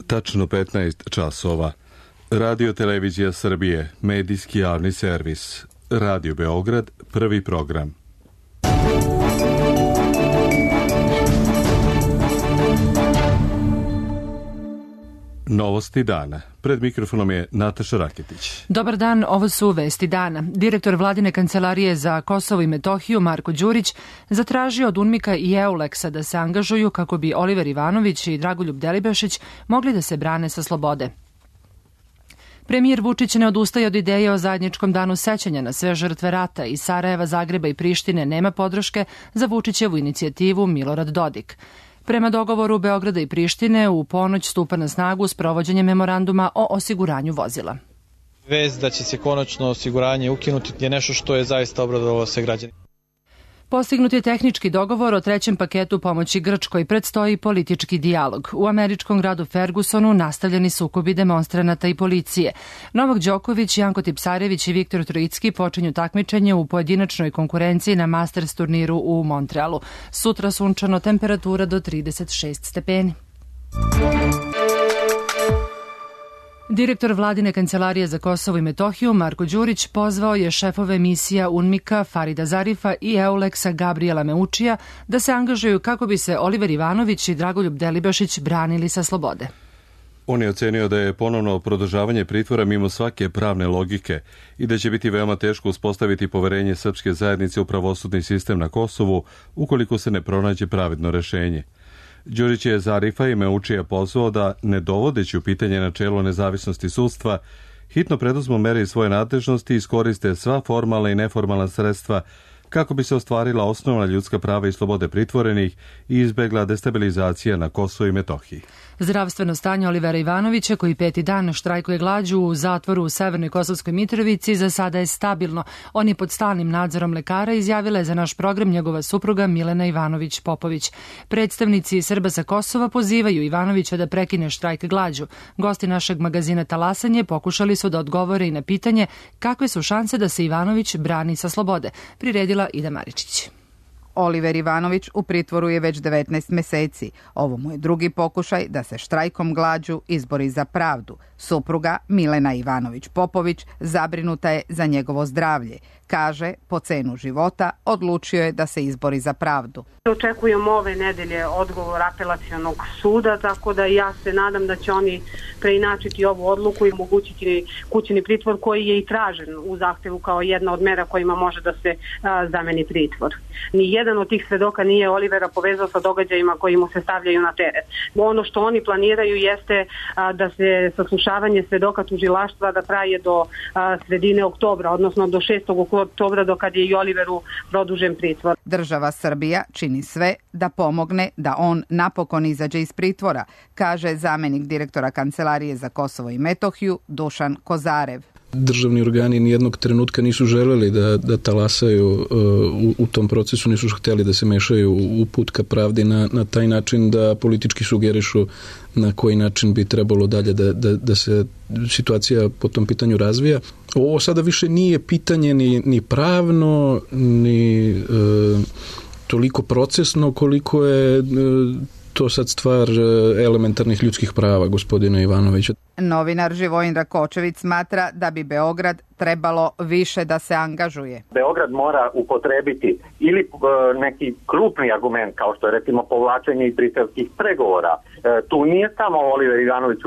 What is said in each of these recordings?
tačno 15 časova. Radio Televizija Srbije, medijski javni servis. Radio Beograd, prvi program. Novosti dana. Pred mikrofonom je Nataša Raketić. Dobar dan, ovo su vesti dana. Direktor Vladine kancelarije za Kosovo i Metohiju, Marko Đurić, zatražio od UNMIK-a i EULEX-a da se angažuju kako bi Oliver Ivanović i Dragoljub Delibašić mogli da se brane sa slobode. Premijer Vučić ne odustaje od ideje o zajedničkom danu sećanja na sve žrtve rata. Iz Sarajeva, Zagreba i Prištine nema podrške za Vučićevu inicijativu Milorad Dodik. Prema dogovoru Beograda i Prištine, u ponoć stupa na snagu sprovođenje memoranduma o osiguranju vozila. Vest da će se konačno osiguranje ukinuti je nešto što je zaista obradovalo sve građane. Postignut je tehnički dogovor o trećem paketu pomoći Grčkoj, predstoji politički dijalog. U američkom gradu Fergusonu nastavljeni sukobi demonstranata i policije. Novak Đoković, Janko Tipsarević i Viktor Trojicki počinju takmičenje u pojedinačnoj konkurenciji na Masters turniru u Montrealu. Sutra sunčano, temperatura do 36 stepeni. Direktor Vladine kancelarije za Kosovo i Metohiju, Marko Đurić, pozvao je šefove misija UNMIK-a Farida Zarifa i EULEX-a Gabrijela Meučija da se angažuju kako bi se Oliver Ivanović i Dragoljub Delibašić branili sa slobode. On je ocenio da je ponovno produžavanje pritvora mimo svake pravne logike i da će biti veoma teško uspostaviti poverenje srpske zajednice u pravosudni sistem na Kosovu ukoliko se ne pronađe pravedno rešenje. Đurić je Zarifa i Meučija pozvao da, ne dovodeći u pitanje načelo nezavisnosti sudstva, hitno preduzmu mere iz svoje nadležnosti i iskoriste sva formalna i neformalna sredstva kako bi se ostvarila osnovna ljudska prava i slobode pritvorenih i izbegla destabilizacija na Kosovu i Metohiji. Zdravstveno stanje Olivera Ivanovića, koji 5. dan štrajkuje glađu u zatvoru u Severnoj Kosovskoj Mitrovici, za sada je stabilno. On je pod stalnim nadzorom lekara, izjavila je za naš program njegova supruga Milena Ivanović-Popović. Predstavnici Srba sa Kosova pozivaju Ivanovića da prekine štrajk glađu. Gosti našeg magazina Talasanje pokušali su da odgovore i na pitanje kakve su šanse da se Ivanović brani sa slobode. Priredila Ida Maričić. Oliver Ivanović u pritvoru je već 19 meseci. Ovo mu je drugi pokušaj da se štrajkom glađu izbori za pravdu. Supruga Milena Ivanović-Popović zabrinuta je za njegovo zdravlje. Kaže, po cenu života odlučio je da se izbori za pravdu. Očekujemo ove nedelje odgovor apelacionog suda, tako da ja se nadam da će oni preinačiti ovu odluku i omogućiti kućni pritvor koji je i tražen u zahtevu kao jedna od mera kojima može da se zameni pritvor. Nijedan od tih svedoka nije Olivera povezao sa događajima koji mu se stavljaju na teret. Ono što oni planiraju jeste da se saslušavanje svedoka tužilaštva da traje do sredine oktobra, odnosno do 6. oktobra, do kad je i Oliveru produžen pritvor. Država Srbija čini sve da pomogne da on napokon izađe iz pritvora, kaže zamenik direktora Kancelarije za Kosovo i Metohiju Dušan Kozarev. Državni organi nijednog trenutka nisu želeli da talasaju u tom procesu, nisu hteli da se mešaju u put ka pravdi na taj način da politički sugerišu na koji način bi trebalo dalje da se situacija po tom pitanju razvija. Ovo sada više nije pitanje ni pravno, ni toliko procesno koliko je to sad stvar elementarnih ljudskih prava gospodina Ivanovića. Novinar Živojin Rakočević smatra da bi Beograd trebalo više da se angažuje. Beograd mora upotrebiti ili neki krupni argument, kao što je recimo povlačenje iz briselskih pregovora. Tu nije samo Oliver Ivanović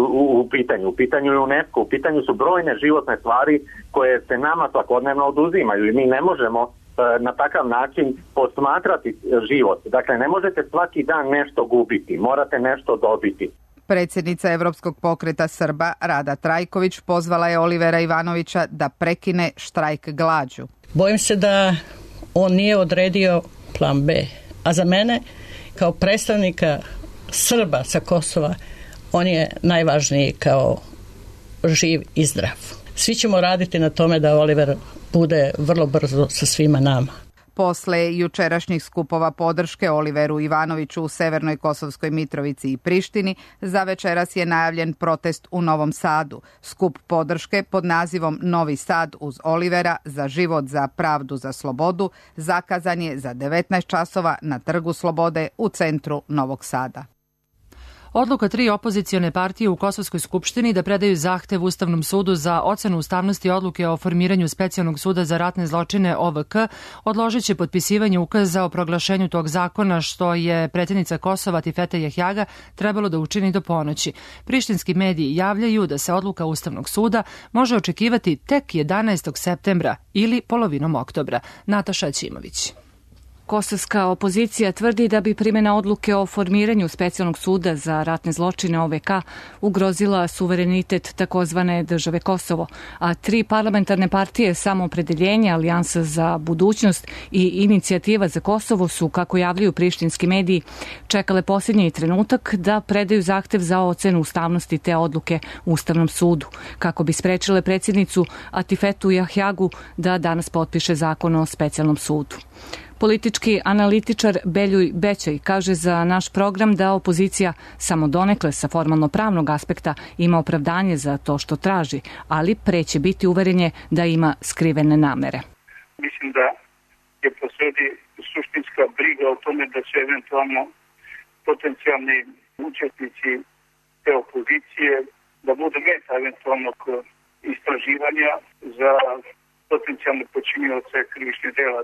u pitanju je UNESCO, u pitanju su brojne životne stvari koje se nama svakodnevno oduzimaju i mi ne možemo na takav način posmatrati život. Dakle, ne možete svaki dan nešto gubiti, morate nešto dobiti. Predsjednica Evropskog pokreta Srba Rada Trajković pozvala je Olivera Ivanovića da prekine štrajk glađu. Bojim se da on nije odredio plan B. A za mene, kao predstavnika Srba sa Kosova, on je najvažniji kao živ i zdrav. Svi ćemo raditi na tome da Oliver bude vrlo brzo sa svima nama. Posle jučerašnjih skupova podrške Oliveru Ivanoviću u Severnoj Kosovskoj Mitrovici i Prištini, za večeras je najavljen protest u Novom Sadu. Skup podrške pod nazivom Novi Sad uz Olivera za život, za pravdu, za slobodu zakazan je za 19 časova na Trgu Slobode u centru Novog Sada. Odluka 3 opozicione partije u Kosovskoj skupštini da predaju zahtev Ustavnom sudu za ocenu ustavnosti odluke o formiranju specijalnog suda za ratne zločine OVK odložit će potpisivanje ukaza o proglašenju tog zakona, što je predsjednica Kosova Tifete Jahjaga trebalo da učini do ponoći. Prištinski mediji javljaju da se odluka Ustavnog suda može očekivati tek 11. septembra ili polovinom oktobra. Nataša Ćimović. Kosovska opozicija tvrdi da bi primjena odluke o formiranju specijalnog suda za ratne zločine OVK ugrozila suverenitet takozvane države Kosovo, a 3 parlamentarne partije Samoopredeljenje, Alijansa za budućnost i Inicijativa za Kosovo su, kako javljaju prištinski mediji, čekale posljednji trenutak da predaju zahtev za ocenu ustavnosti te odluke Ustavnom sudu, kako bi sprečile predsjednicu Atifetu Jahjagu da danas potpiše zakon o specijalnom sudu. Politički analitičar Beljuj Bećaj kaže za naš program da opozicija samo donekle sa formalno-pravnog aspekta ima opravdanje za to što traži, ali pre će biti uveren da ima skrivene namere. Mislim da je posredi suštinska briga o tome da će eventualno potencijalni učesnici te opozicije da budu meta eventualnog istraživanja za potencijalne počinioce krivičnih dela.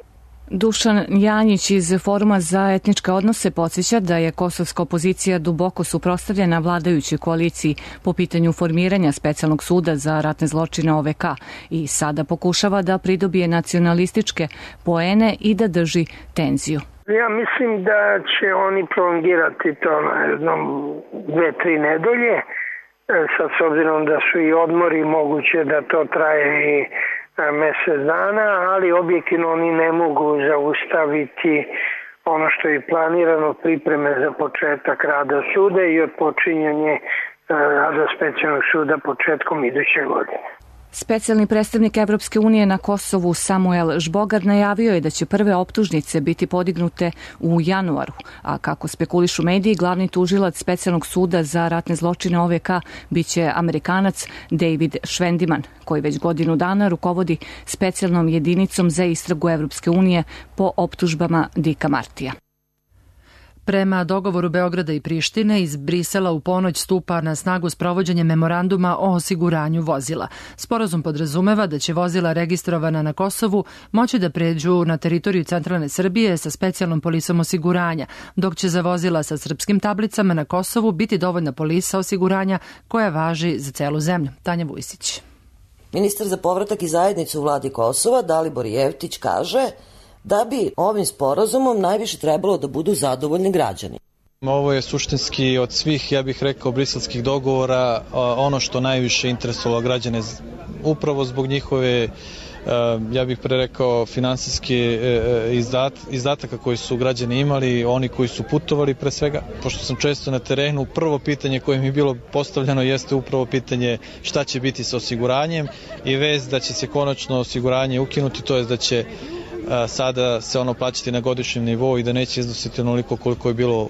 Dušan Janjić iz Foruma za etničke odnose podsjeća da je kosovska opozicija duboko suprotstavljena vladajućoj koaliciji po pitanju formiranja specijalnog suda za ratne zločine OVK i sada pokušava da pridobije nacionalističke poene i da drži tenziju. Ja mislim da će oni prolongirati to na jednom 2-3 nedelje, sad s obzirom da su i odmori, moguće da to traje i mjesec dana, ali objektivno oni ne mogu zaustaviti ono što je planirano, pripreme za početak rada suda i odpočinjanje rada specijalnog suda početkom iduće godine. Specijalni predstavnik Evropske unije na Kosovu Samuel Žbogar najavio je da će prve optužnice biti podignute u januaru, a kako spekulišu mediji, glavni tužilac specijalnog suda za ratne zločine OVK biće Amerikanac David Švendiman, koji već godinu dana rukovodi specijalnom jedinicom za istragu Evropske unije po optužbama Dika Martija. Prema dogovoru Beograda i Prištine, iz Brisela u ponoć stupa na snagu sprovođenje memoranduma o osiguranju vozila. Sporazum podrazumeva da će vozila registrovana na Kosovu moći da pređu na teritoriju centralne Srbije sa specijalnom polisom osiguranja, dok će za vozila sa srpskim tablicama na Kosovu biti dovoljna polisa osiguranja koja važi za celu zemlju. Tanja Vujsić. Ministar za povratak i zajednicu u vladi Kosova, Dalibor Jevtić, kaže da bi ovim sporazumom najviše trebalo da budu zadovoljni građani. Ovo je suštinski od svih, ja bih rekao, briselskih dogovora ono što najviše interesovalo građane, upravo zbog njihove, ja bih prerekao, finansijske izdataka koji su građani imali, oni koji su putovali pre svega. Pošto sam često na terenu, prvo pitanje koje mi je bilo postavljeno jeste upravo pitanje šta će biti sa osiguranjem i vez da će se konačno osiguranje ukinuti, to je da će sada se ono plaćati na godišnjem nivou i da neće iznositi onoliko koliko je bilo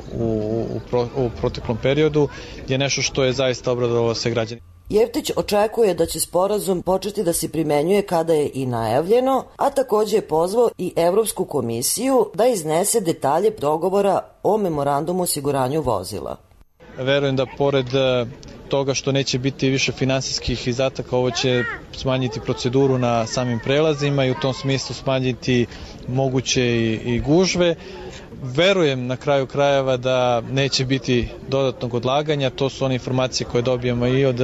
u proteklom periodu, je nešto što je zaista obradovalo sve građane. Jevtić očekuje da će sporazum početi da se primenjuje kada je i najavljeno, a takođe je pozvao i Evropsku komisiju da iznese detalje dogovora o memorandumu o osiguranju vozila. Verujem da pored toga što neće biti više finansijskih izdataka, ovo će smanjiti proceduru na samim prelazima i u tom smislu smanjiti moguće i gužve. Verujem na kraju krajeva da neće biti dodatnog odlaganja, to su one informacije koje dobijamo i od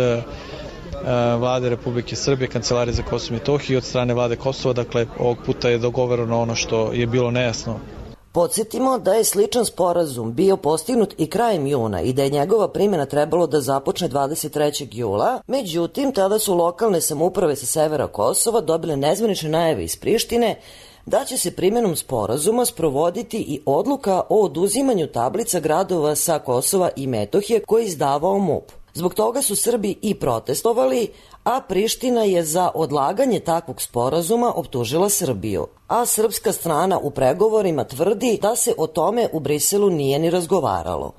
Vlade Republike Srbije, Kancelarije za Kosovo i Metohiju i od strane Vlade Kosova, dakle ovog puta je dogovoreno ono što je bilo nejasno. Podsjetimo da je sličan sporazum bio postignut i krajem juna i da je njegova primjena trebalo da započne 23. jula, međutim tada su lokalne samouprave sa severa Kosova dobile nezvanične najave iz Prištine da će se primjenom sporazuma sprovoditi i odluka o oduzimanju tablica gradova sa Kosova i Metohije koje je izdavao MUP. Zbog toga su Srbi i protestovali, a Priština je za odlaganje takvog sporazuma optužila Srbiju. A srpska strana u pregovorima tvrdi da se o tome u Briselu nije ni razgovaralo.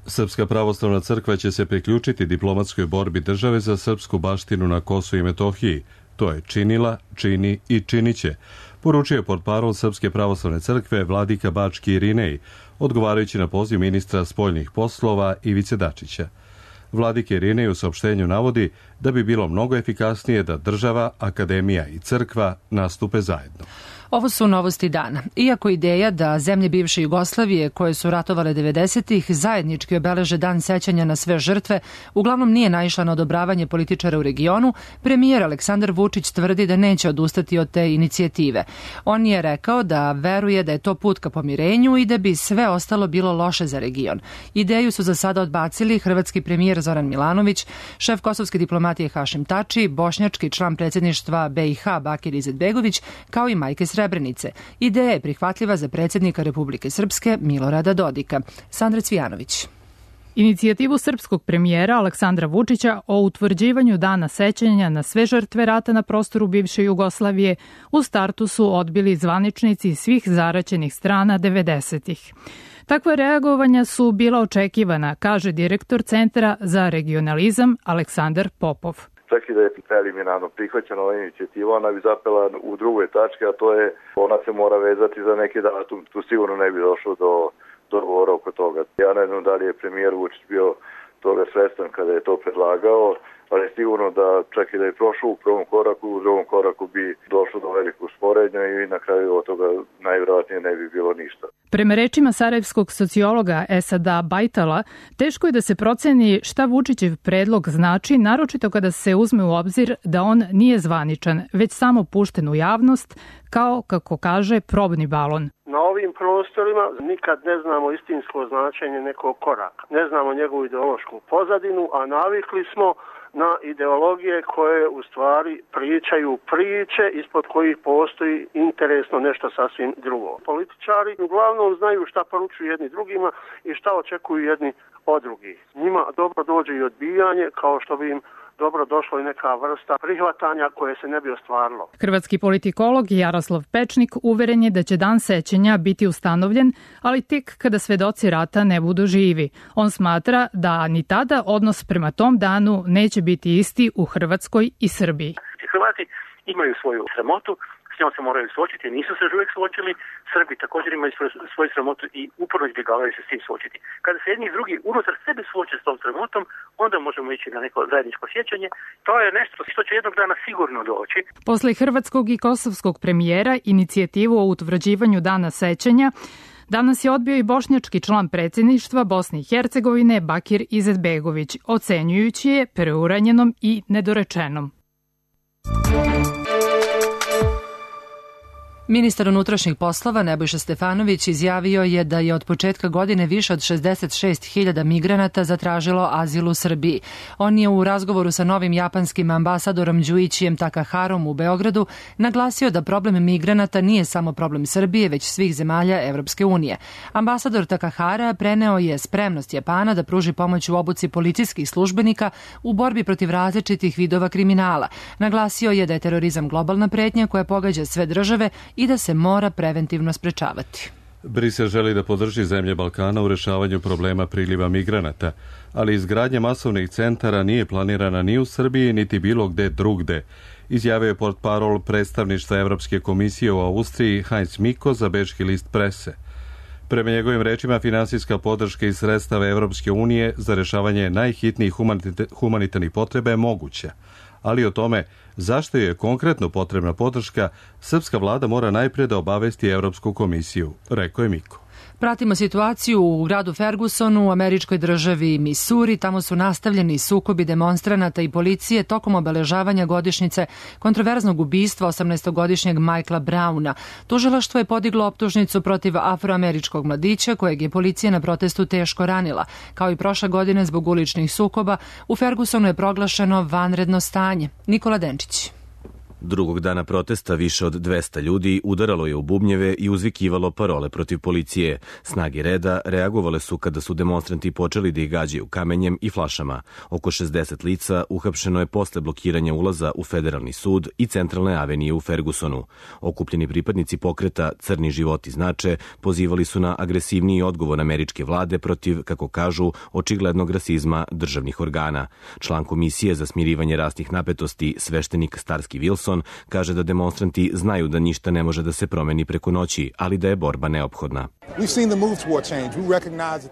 Srpska pravoslavna crkva će se priključiti diplomatskoj borbi države za srpsku baštinu na Kosovu i Metohiji. To je činila, čini i činiće, poručio je portparol Srpske pravoslavne crkve vladika Bački Irinej, odgovarajući na poziv ministra spoljnih poslova Ivice Dačića. Vladike Irine u saopštenju navodi da bi bilo mnogo efikasnije da država, akademija i crkva nastupe zajedno. Ovo su novosti dana. Iako ideja da zemlje bivše Jugoslavije koje su ratovale 90-ih zajednički obeleže dan sećanja na sve žrtve, uglavnom nije naišla na odobravanje političara u regionu, premijer Aleksandar Vučić tvrdi da neće odustati od te inicijative. On je rekao da veruje da je to put ka pomirenju i da bi sve ostalo bilo loše za region. Ideju su za sada odbacili hrvatski premijer Zoran Milanović, šef kosovske diplomatije Hašim Tači, bošnjački član predsjedništva BiH Bakir Izetbegović, kao i majke Srebrenice. Ideja je prihvatljiva za predsjednika Republike Srpske Milorada Dodika. Sandra Cvijanović. Inicijativu srpskog premijera Aleksandra Vučića o utvrđivanju dana sećanja na sve žrtve rata na prostoru bivše Jugoslavije u startu su odbili zvaničnici svih zaraćenih strana 90-ih. Takva reagovanja su bila očekivana, kaže direktor Centra za regionalizam Aleksandar Popov. Čak i da je preliminarno prihvaćena ova inicijativa, ona bi zapela u drugoj tački, a to je ona se mora vezati za neki datum. Tu sigurno ne bi došlo do dogovora oko toga. Ja ne znam da li je premijer Vučić bio toga svestan kada je to predlagao, ali sigurno da čak i da je prošao u prvom koraku, u drugom koraku bi došlo do velikog sporednja i na kraju od toga najvjerojatnije ne bi bilo ništa. Prema rečima sarajevskog sociologa Esada Bajtala, teško je da se proceni šta Vučićev predlog znači, naročito kada se uzme u obzir da on nije zvaničan, već samo pušten u javnost, kao, kako kaže, probni balon. Na ovim prostorima nikad ne znamo istinsko značenje nekog koraka. Ne znamo njegovu ideološku pozadinu, a navikli smo na ideologije koje u stvari pričaju priče ispod kojih postoji interesno nešto sasvim drugo. Političari uglavnom znaju šta poručuju jedni drugima i šta očekuju jedni od drugih. Njima dobro dođe i odbijanje, kao što bi im dobro došlo i neka vrsta prihvatanja koje se ne bi ostvarilo. Hrvatski politikolog Jaroslav Pečnik uveren je da će dan sećanja biti ustanovljen, ali tek kada svedoci rata ne budu živi. On smatra da ni tada odnos prema tom danu neće biti isti u Hrvatskoj i Srbiji. Hrvati imaju svoju sramotu, s njom se moraju suočiti, nisu se još uvijek suočili. Srbi također imaju svoju sramotu i uporno izbjegavaju se s tim suočiti. Kada se jedni i drugi unutar sebe suoče s tom sramotom, onda možemo ići na neko zajedničko sjećanje. To je nešto što će jednog dana sigurno doći. Posle hrvatskog i kosovskog premijera inicijativu o utvrđivanju dana sećanja danas je odbio i bošnjački član predsjedništva Bosne i Hercegovine Bakir Izetbegović, ocenjujući je preuranjenom i nedorečenom. Ministar unutrašnjih poslova Nebojša Stefanović izjavio je da je od početka godine više od 66.000 migranata zatražilo azil u Srbiji. On je u razgovoru sa novim japanskim ambasadorom Đuićijem Takaharom u Beogradu naglasio da problem migranata nije samo problem Srbije, već svih zemalja Evropske unije. Ambasador Takahara preneo je spremnost Japana da pruži pomoć u obuci policijskih službenika u borbi protiv različitih vidova kriminala. Naglasio je da je terorizam globalna pretnja koja pogađa sve države i da se mora preventivno sprečavati. Brisel želi da podrži zemlje Balkana u rešavanju problema priliva migranata, ali izgradnja masovnih centara nije planirana ni u Srbiji, niti bilo gde drugde, izjavio je portparol predstavništva Evropske komisije u Austriji Heinz Miko za bečki list Prese. Prema njegovim rečima, finansijska podrška iz sredstava Evropske unije za rešavanje najhitnijih humanitarnih potreba je moguća, ali o tome zašto je konkretno potrebna podrška, srpska vlada mora najprije da obavesti Evropsku komisiju, rekao je Miko. Pratimo situaciju u gradu Fergusonu u američkoj državi Missouri. Tamo su nastavljeni sukobi demonstranata i policije tokom obeležavanja godišnjice kontroverznog ubistva 18-godišnjeg Michaela Browna. Tužilaštvo je podiglo optužnicu protiv afroameričkog mladića kojeg je policija na protestu teško ranila. Kao i prošle godine zbog uličnih sukoba, u Fergusonu je proglašeno vanredno stanje. Nikola Denčić. Drugog dana protesta više od 200 ljudi udaralo je u bubnjeve i uzvikivalo parole protiv policije. Snage reda reagovale su kada su demonstranti počeli da ih gađaju kamenjem i flašama. Oko 60 lica uhapšeno je posle blokiranja ulaza u federalni sud i centralne avenije u Fergusonu. Okupljeni pripadnici pokreta Crni životi znače pozivali su na agresivniji odgovor američke vlade protiv, kako kažu, očiglednog rasizma državnih organa. Član komisije za smirivanje rasnih napetosti sveštenik Starski Wilson Wilson, kaže da demonstranti znaju da ništa ne može da se promeni preko noći, ali da je borba neophodna.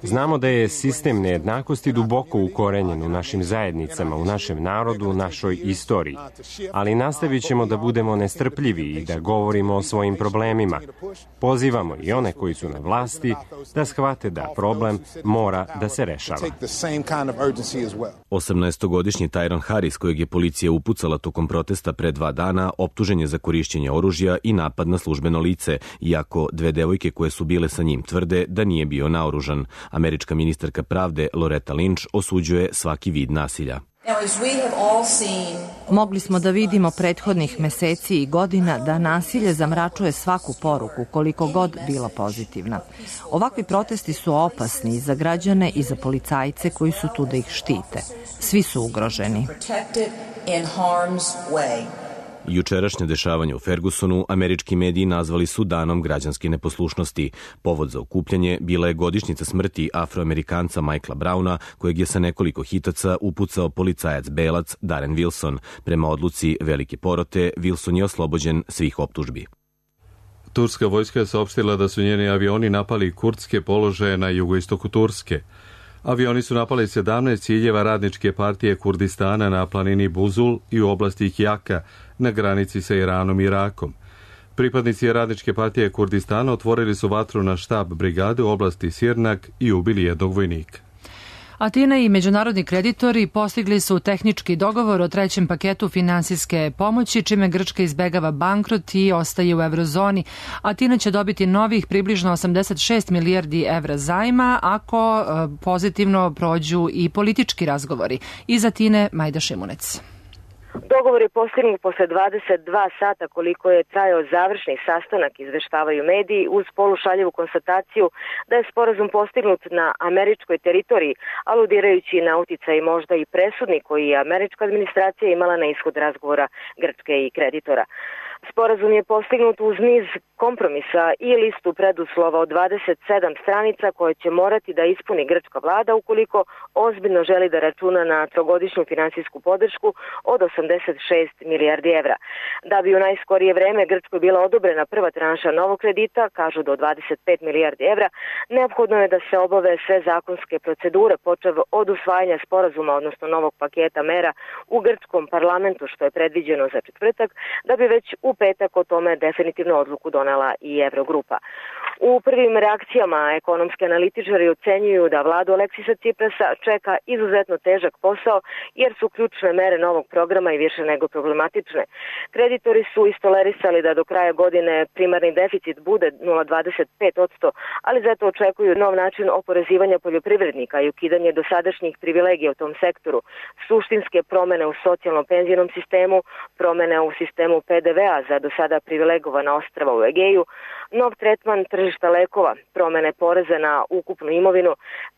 Znamo da je sistem nejednakosti duboko ukorenjen u našim zajednicama, u našem narodu, u našoj istoriji. Ali nastavit ćemo da budemo nestrpljivi i da govorimo o svojim problemima. Pozivamo i one koji su na vlasti da shvate da problem mora da se rešava. 18-godišnji Tyron Harris, kojeg je policija upucala tokom protesta pre 2 dana, optužen je za korišćenje oružja i napad na službeno lice, iako 2 devojke koje su bile sa njim tvrde da nije bio naoružan. Američka ministarka pravde Loretta Lynch osuđuje svaki vid nasilja. Mogli smo da vidimo prethodnih meseci i godina da nasilje zamračuje svaku poruku, koliko god bila pozitivna. Ovakvi protesti su opasni i za građane i za policajce koji su tu da ih štite. Svi su ugroženi. Jučerašnje dešavanje u Fergusonu američki mediji nazvali su danom građanske neposlušnosti. Povod za okupljanje bila je godišnjica smrti Afroamerikanca Michaela Browna, kojeg je sa nekoliko hitaca upucao policajac belac Darren Wilson. Prema odluci velike porote, Wilson je oslobođen svih optužbi. Turska vojska je saopštila da su njeni avioni napali kurdske položaje na jugoistoku Turske. Avioni su napali 17 ciljeva radničke partije Kurdistana na planini Buzul i u oblasti Kijaka na granici sa Iranom i Irakom. Pripadnici radničke partije Kurdistana otvorili su vatru na štab brigade u oblasti Sirnak i ubili jednog vojnika. Atina i međunarodni kreditori postigli su tehnički dogovor o 3. paketu finansijske pomoći, čime Grčka izbegava bankrot i ostaje u eurozoni. Atina će dobiti novih približno 86 milijardi evra zajma ako pozitivno prođu i politički razgovori. Iz Atine, Majda Šimunec. Dogovor je postignut posle 22 sata koliko je trajao završni sastanak, izveštavaju mediji, uz polušaljivu konstataciju da je sporazum postignut na američkoj teritoriji, aludirajući na uticaj možda i presudni koji je američka administracija imala na ishod razgovora Grčke i kreditora. Sporazum je postignut uz niz kompromisa i listu preduslova od 27 stranica koje će morati da ispuni grčka vlada ukoliko ozbiljno želi da računa na trogodišnju finansijsku podršku od 86 milijardi evra. Da bi u najskorije vreme Grčkoj bila odobrena prva tranša novog kredita, kažu do 25 milijardi evra, neophodno je da se obave sve zakonske procedure, počev od usvajanja sporazuma, odnosno novog paketa mera u grčkom parlamentu, što je predviđeno za četvrtak, da bi već u petak o tome definitivno odluku donela i Evrogrupa. U prvim reakcijama ekonomski analitičari ocenjuju da vladu Aleksisa Ciprasa čeka izuzetno težak posao jer su ključne mere novog programa i više nego problematične. Kreditori su istolerisali da do kraja godine primarni deficit bude 0,25%, ali zato očekuju nov način oporezivanja poljoprivrednika i ukidanje dosadašnjih privilegija u tom sektoru, suštinske promene u socijalno-penzijnom sistemu, promene u sistemu PDV-a za do sada privilegovana ostrva u Egeju, nov tretman tržišta lekova, promene poreza na ukupnu imovinu,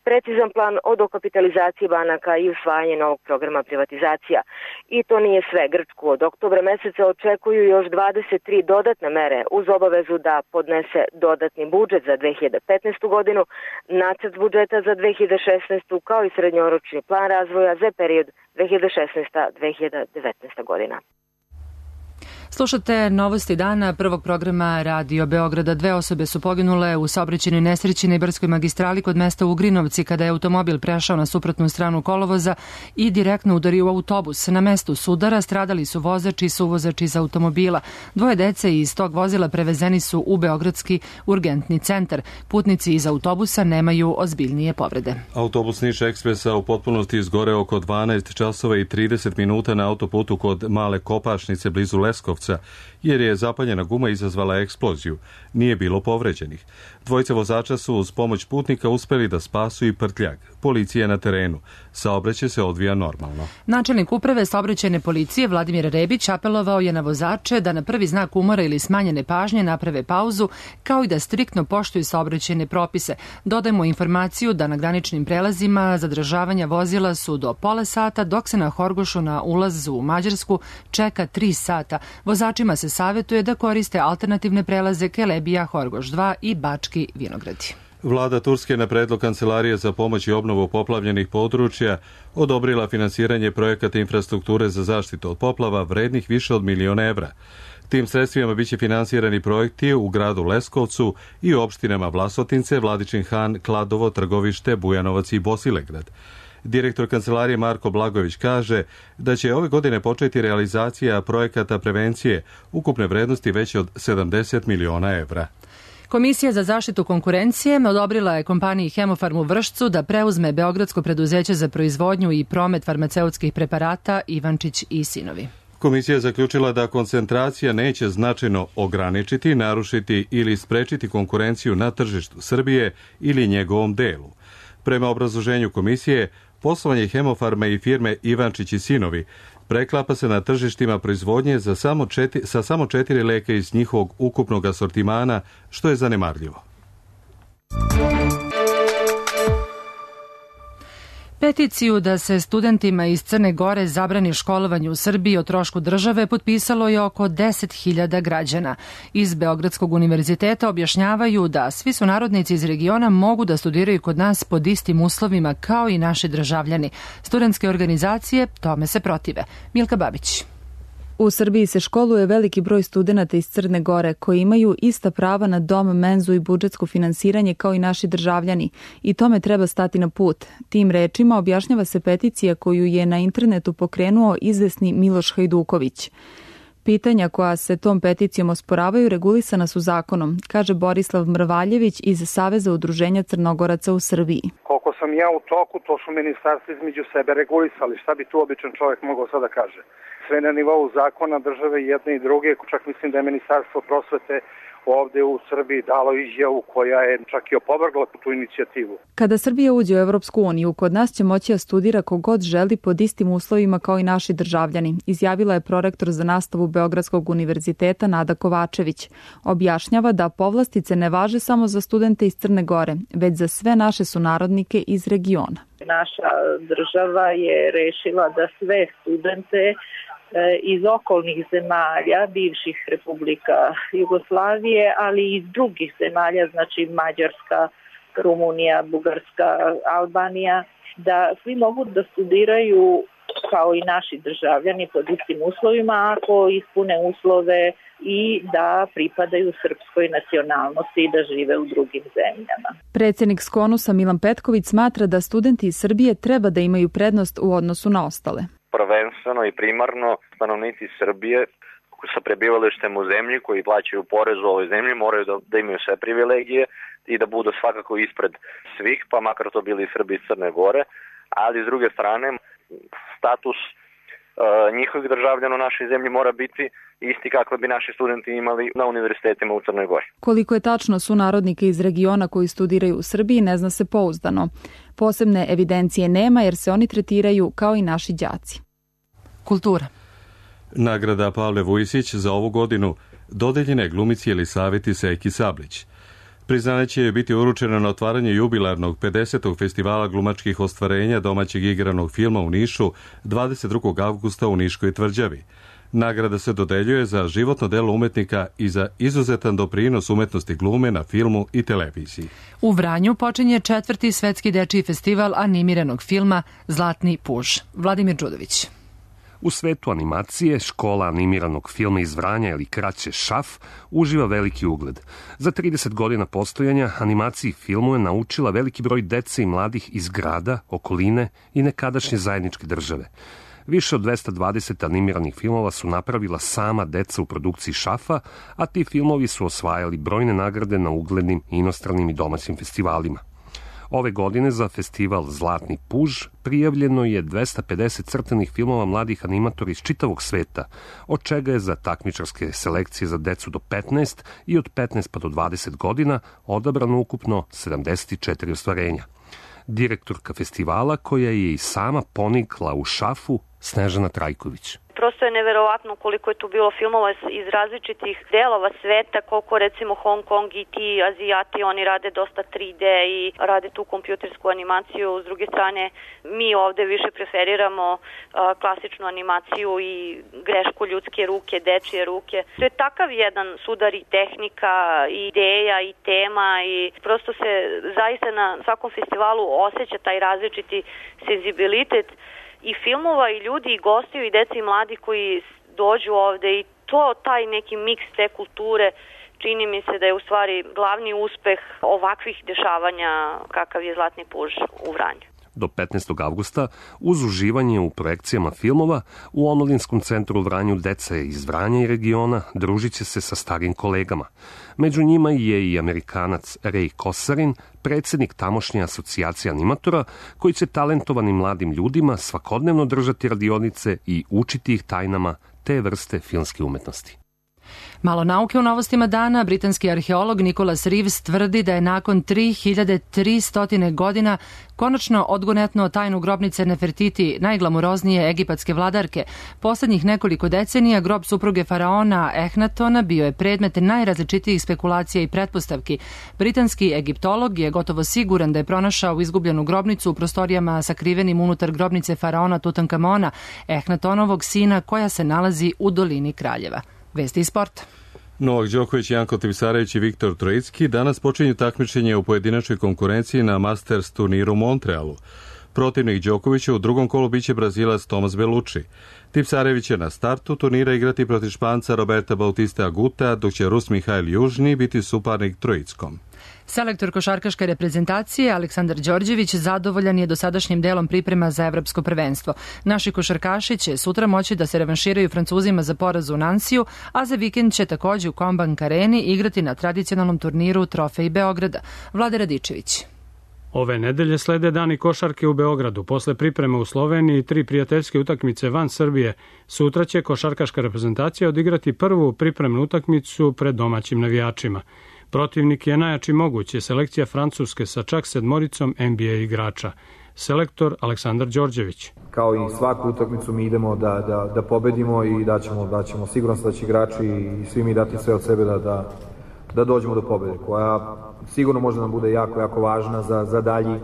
precizan plan o dokapitalizaciji banaka i usvajanje novog programa privatizacija. I to nije sve. Grčku od oktobra meseca očekuju još 23 dodatne mere uz obavezu da podnese dodatni budžet za 2015. godinu, nacrt budžeta za 2016. kao i srednjoročni plan razvoja za period 2016-2019. godina. Slušate novosti dana prvog programa Radio Beograda. 2 osobe su poginule u saobraćajnoj nesreći na Ibarskoj magistrali kod mesta Ugrinovci kada je automobil prešao na suprotnu stranu kolovoza i direktno udario u autobus. Na mestu sudara stradali su vozač i suvozač iz automobila. 2 dece iz tog vozila prevezeni su u Beogradski urgentni centar. Putnici iz autobusa nemaju ozbiljnije povrede. Autobus Niš Ekspresa u potpunosti izgoreo oko 12 časova i 30 minuta na autoputu kod Male Kopašnice blizu Leskovca, jer je zapaljena guma izazvala eksploziju. Nije bilo povređenih. 2 vozača su uz pomoć putnika uspeli da spasu i prtljag. Policija je na terenu. Saobraćaj se odvija normalno. Načelnik uprave saobraćajne policije Vladimir Rebić apelovao je na vozače da na prvi znak umora ili smanjene pažnje naprave pauzu, kao i da striktno poštuju saobraćajne propise. Dodajmo informaciju da na graničnim prelazima zadržavanja vozila su do pola sata, dok se na Horgošu na ulazu u Mađarsku čeka 3 sata. Vozačima se savjetuje da koriste alternativne prelaze Kelebija, Horgoš 2 i Bački Vinogradi. Vlada Turske na predlog Kancelarije za pomoć i obnovu poplavljenih područja odobrila finansiranje projekata infrastrukture za zaštitu od poplava vrednih više od €1.000.000. Tim sredstvima biće finansirani projekti u gradu Leskovcu i u opštinama Vlasotince, Vladičin Han, Kladovo, Trgovište, Bujanovac i Bosilegrad. Direktor Kancelarije Marko Blagojević kaže da će ove godine početi realizacija projekata prevencije ukupne vrednosti veće od €70 miliona. Komisija za zaštitu konkurencije odobrila je kompaniji Hemofarm u Vršcu da preuzme Beogradsko preduzeće za proizvodnju i promet farmaceutskih preparata Ivančić i sinovi. Komisija je zaključila da koncentracija neće značajno ograničiti, narušiti ili sprečiti konkurenciju na tržištu Srbije ili njegovom delu. Prema obrazloženju komisije, poslovanje Hemofarma i firme Ivančić i sinovi preklapa se na tržištima proizvodnje sa samo 4 leka iz njihovog ukupnog asortimana, što je zanemarljivo. Peticiju da se studentima iz Crne Gore zabrani školovanje u Srbiji o trošku države potpisalo je oko 10.000 građana. Iz Beogradskog univerziteta objašnjavaju da svi sunarodnici iz regiona mogu da studiraju kod nas pod istim uslovima kao i naši državljani. Studentske organizacije tome se protive. Milka Babić. U Srbiji se školuje veliki broj studenata iz Crne Gore koji imaju ista prava na dom, menzu i budžetsko finansiranje kao i naši državljani i tome treba stati na put. Tim rečima objašnjava se peticija koju je na internetu pokrenuo izvesni Miloš Hajduković. Pitanja koja se tom peticijom osporavaju regulisana su zakonom, kaže Borislav Mrvaljević iz Saveza udruženja Crnogoraca u Srbiji. Koliko sam ja u toku, to su ministarstva između sebe regulisali. Šta bi tu običan čovjek mogao sada kaže? Sve na nivou zakona države jedne i druge, čak mislim da je Ministarstvo prosvete ovde u Srbiji dalo izjavu koja je čak i opovrgla tu inicijativu. Kada Srbija uđe u Evropsku uniju, kod nas će moći da studira kogod želi pod istim uslovima kao i naši državljani, izjavila je prorektor za nastavu Beogradskog univerziteta Nada Kovačević. Objašnjava da povlastice ne važe samo za studente iz Crne Gore, već za sve naše sunarodnike iz regiona. Naša država je rešila da sve studente iz okolnih zemalja, bivših republika Jugoslavije, ali i iz drugih zemalja, znači Mađarska, Rumunija, Bugarska, Albanija, da svi mogu da studiraju kao i naši državljani pod istim uslovima ako ispune uslove i da pripadaju srpskoj nacionalnosti i da žive u drugim zemljama. Predsednik Skonusa Milan Petković smatra da studenti iz Srbije treba da imaju prednost u odnosu na ostale. Prvenstveno i primarno stanovnici Srbije sa prebivalištem u zemlji koji plaćaju porez u ovoj zemlji moraju da imaju sve privilegije i da budu svakako ispred svih, pa makar to bili Srbi iz Crne Gore, ali s druge strane status njihovih državljana u našoj zemlji mora biti isti kakve bi naši studenti imali na univerzitetima u Crnoj Gori. Koliko je tačno sunarodnika iz regiona koji studiraju u Srbiji ne zna se pouzdano. Posebne evidencije nema jer se oni tretiraju kao i naši đaci. Kultura. Nagrada Pavle Vujisić za ovu godinu dodeljena je glumici Jelisaveti Seki Sablić. Priznanje će biti uručeno na otvaranju jubilarnog 50. festivala glumačkih ostvarenja domaćeg igranog filma u Nišu 22. avgusta u Niškoj tvrđavi. Nagrada se dodeljuje za životno delo umetnika i za izuzetan doprinos umetnosti glume na filmu i televiziji. U Vranju počinje 4. svetski dečiji festival animiranog filma Zlatni puž. Vladimir Đudović. U svetu animacije, škola animiranog filma iz Vranja ili kraće ŠAF uživa veliki ugled. Za 30 godina postojanja animaciji filmu je naučila veliki broj dece i mladih iz grada, okoline i nekadašnje zajedničke države. Više od 220 animiranih filmova su napravila sama deca u produkciji ŠAF-a, a ti filmovi su osvajali brojne nagrade na uglednim inostranim i domaćim festivalima. Ove godine za festival Zlatni puž prijavljeno je 250 crtanih filmova mladih animatora iz čitavog sveta, od čega je za takmičarske selekcije za decu do 15 i od 15 pa do 20 godina odabrano ukupno 74 ostvarenja. Direktorka festivala, koja je i sama ponikla u ŠAF-u, Snežana Trajković. Prosto je neverovatno koliko je tu bilo filmova iz različitih delova sveta, koliko recimo Hong Kong i ti Azijati, oni rade dosta 3D i rade tu kompjutersku animaciju. S druge strane, mi ovde više preferiramo klasičnu animaciju i grešku ljudske ruke, dečije ruke. To je takav jedan sudar i tehnika, i ideja, i tema i prosto se zaista na svakom festivalu osjeća taj različiti senzibilitet i filmova, i ljudi, i gostiju, i deci, i mladi koji dođu ovde i taj neki miks te kulture čini mi se da je u stvari glavni uspeh ovakvih dešavanja kakav je Zlatni puž u Vranju. Do 15. avgusta, uz uživanje u projekcijama filmova, u Omladinskom centru u Vranju deca iz Vranja i regiona družit će se sa starim kolegama. Među njima je i Amerikanac Ray Kosarin, predsednik tamošnje asocijacije animatora, koji će talentovanim mladim ljudima svakodnevno držati radionice i učiti ih tajnama te vrste filmske umetnosti. Malo nauke u novostima dana. Britanski arheolog Nicholas Reeves tvrdi da je nakon 3300 godina konačno odgonetno tajnu grobnice Nefertiti, najglamuroznije egipatske vladarke. Poslednjih nekoliko decenija grob supruge faraona Ehnatona bio je predmet najrazličitijih spekulacija i pretpostavki. Britanski egiptolog je gotovo siguran da je pronašao izgubljenu grobnicu u prostorijama sakrivenim unutar grobnice faraona Tutankamona, Ehnatonovog sina, koja se nalazi u dolini Kraljeva. Vesti iz sporta. Novak Đoković, Janko Tipsarević i Viktor Trojicki danas počinju takmičenje u pojedinačnoj konkurenciji na Masters turniru u Montrealu. Protivnik Đokovića u drugom kolu biće Brazilac Tomas Bellucci. Tipsarević će na startu turnira igrati protiv Španca Roberta Bautista Aguta, dok će Rus Mihajl Južni biti suparnik Trojickom. Selektor košarkaške reprezentacije Aleksandar Đorđević zadovoljan je dosadašnjim delom priprema za evropsko prvenstvo. Naši košarkaši će sutra moći da se revanširaju Francuzima za poraz u Nansiju, a za vikend će takođe u Kombank Areni igrati na tradicionalnom turniru Trofej Beograda. Vlade Radičević. Ove nedelje slede dani košarke u Beogradu. Posle pripreme u Sloveniji i 3 prijateljske utakmice van Srbije, sutra će košarkaška reprezentacija odigrati prvu pripremnu utakmicu pred domaćim navijačima. Protivnik je najjači mogući, selekcija Francuske sa čak 7 NBA igrača. Selektor Aleksandar Đorđević. Kao i svaku utakmicu mi idemo da pobedimo i da ćemo sigurno da će igrači i svi mi dati sve od sebe da dođemo do pobede, koja sigurno može nam bude jako, jako važna za dalji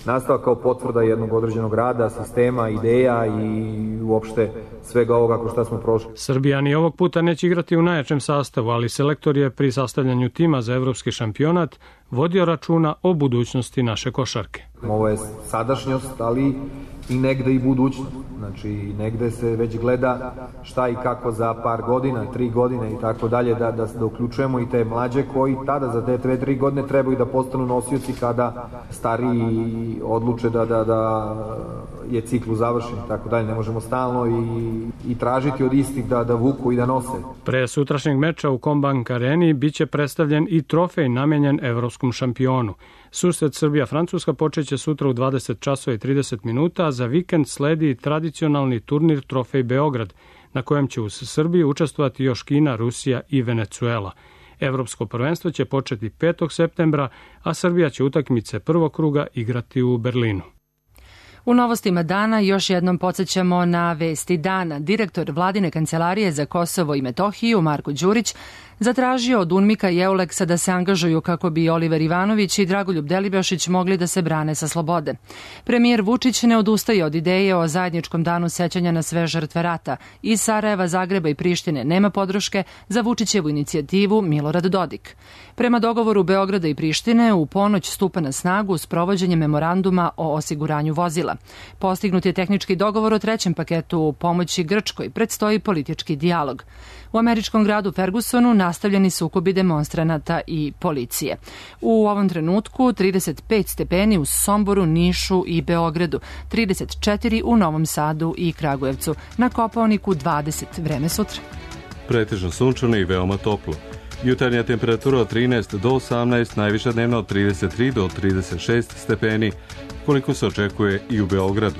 nastavak kao potvrda jednog određenog rada, sistema, ideja i uopšte svega ovoga ko šta smo prošli. Srbija ni ovog puta neće igrati u najjačem sastavu, ali selektor je pri sastavljanju tima za evropski šampionat vodio računa o budućnosti naše košarke. Ovo je sadašnjost, ali i negde i budućnost. Znači, negde se već gleda šta i kako za par godina, 3 godine i tako dalje, da uključujemo i te mlađe koji tada za te 2-3 godine trebaju da postanu nosioci kada stariji odluče da je ciklu završen i tako dalje. Ne možemo stalno i tražiti od istih da vuku i da nose. Pre sutrašnjeg meča u Kombank Areni biće predstavljen i trofej namenjen evropskom šampionu. Susret Srbija-Francuska počeće sutra u 20 časova i 30 minuta, a za vikend sledi tradicionalni turnir Trofej Beograd, na kojem će uz Srbiju učestvovati još Kina, Rusija i Venecuela. Evropsko prvenstvo će početi 5. septembra, a Srbija će utakmice prvog kruga igrati u Berlinu. U novostima dana još jednom podsjećamo na vesti dana. Direktor Vladine kancelarije za Kosovo i Metohiju, Marko Đurić, zatražio od UNMIK-a i EULEX-a da se angažuju kako bi Oliver Ivanović i Dragoljub Delibašić mogli da se brane sa slobode. Premijer Vučić ne odustaje od ideje o zajedničkom danu sećanja na sve žrtve rata. Iz Sarajeva, Zagreba i Prištine nema podrške za Vučićevu inicijativu Milorad Dodik. Prema dogovoru Beograda i Prištine, u ponoć stupa na snagu sprovođenje memoranduma o osiguranju vozila. Postignut je tehnički dogovor o 3. paketu pomoći Grčkoj, predstoji politički dijalog. U američkom gradu Fergusonu nastavljeni sukobi demonstranata i policije. U ovom trenutku 35 stepeni u Somboru, Nišu i Beogradu, 34 u Novom Sadu i Kragujevcu, na Kopaoniku 20, vreme sutra. Pretežno sunčano i veoma toplo. Jutarnja temperatura od 13 do 18, najviša dnevna od 33 do 36 stepeni, koliko se očekuje i u Beogradu.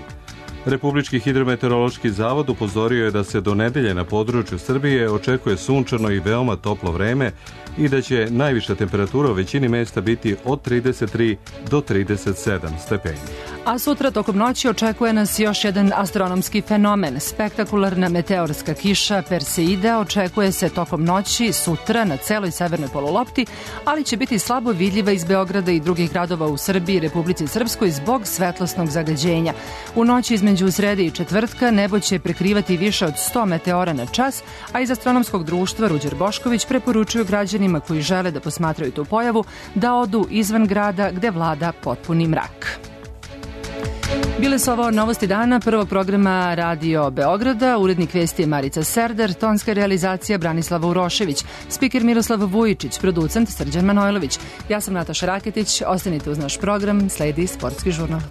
Republički hidrometeorološki zavod upozorio je da se do nedelje na području Srbije očekuje sunčano i veoma toplo vreme i da će najviša temperatura u većini mesta biti od 33 do 37 stepeni. A sutra tokom noći očekuje nas još jedan astronomski fenomen. Spektakularna meteorska kiša Perseida očekuje se tokom noći sutra na celoj severnoj polulopti, ali će biti slabo vidljiva iz Beograda i drugih gradova u Srbiji i Republici Srpskoj zbog svetlosnog zagađenja. U noći između srede i četvrtka nebo će prekrivati više od 100 meteora na čas, a iz astronomskog društva Ruđer Bošković preporučuju građanima koji žele da posmatraju tu pojavu da odu izvan grada gde vlada potpuni mrak. Bile su ovo novosti dana prvog programa Radio Beograda, urednik vesti je Marica Serdar, tonska realizacija Branislava Urošević, spiker Miroslav Vujičić, producent Srđan Manojlović. Ja sam Nataša Raketić, ostanite uz naš program, sledi Sportski žurnal.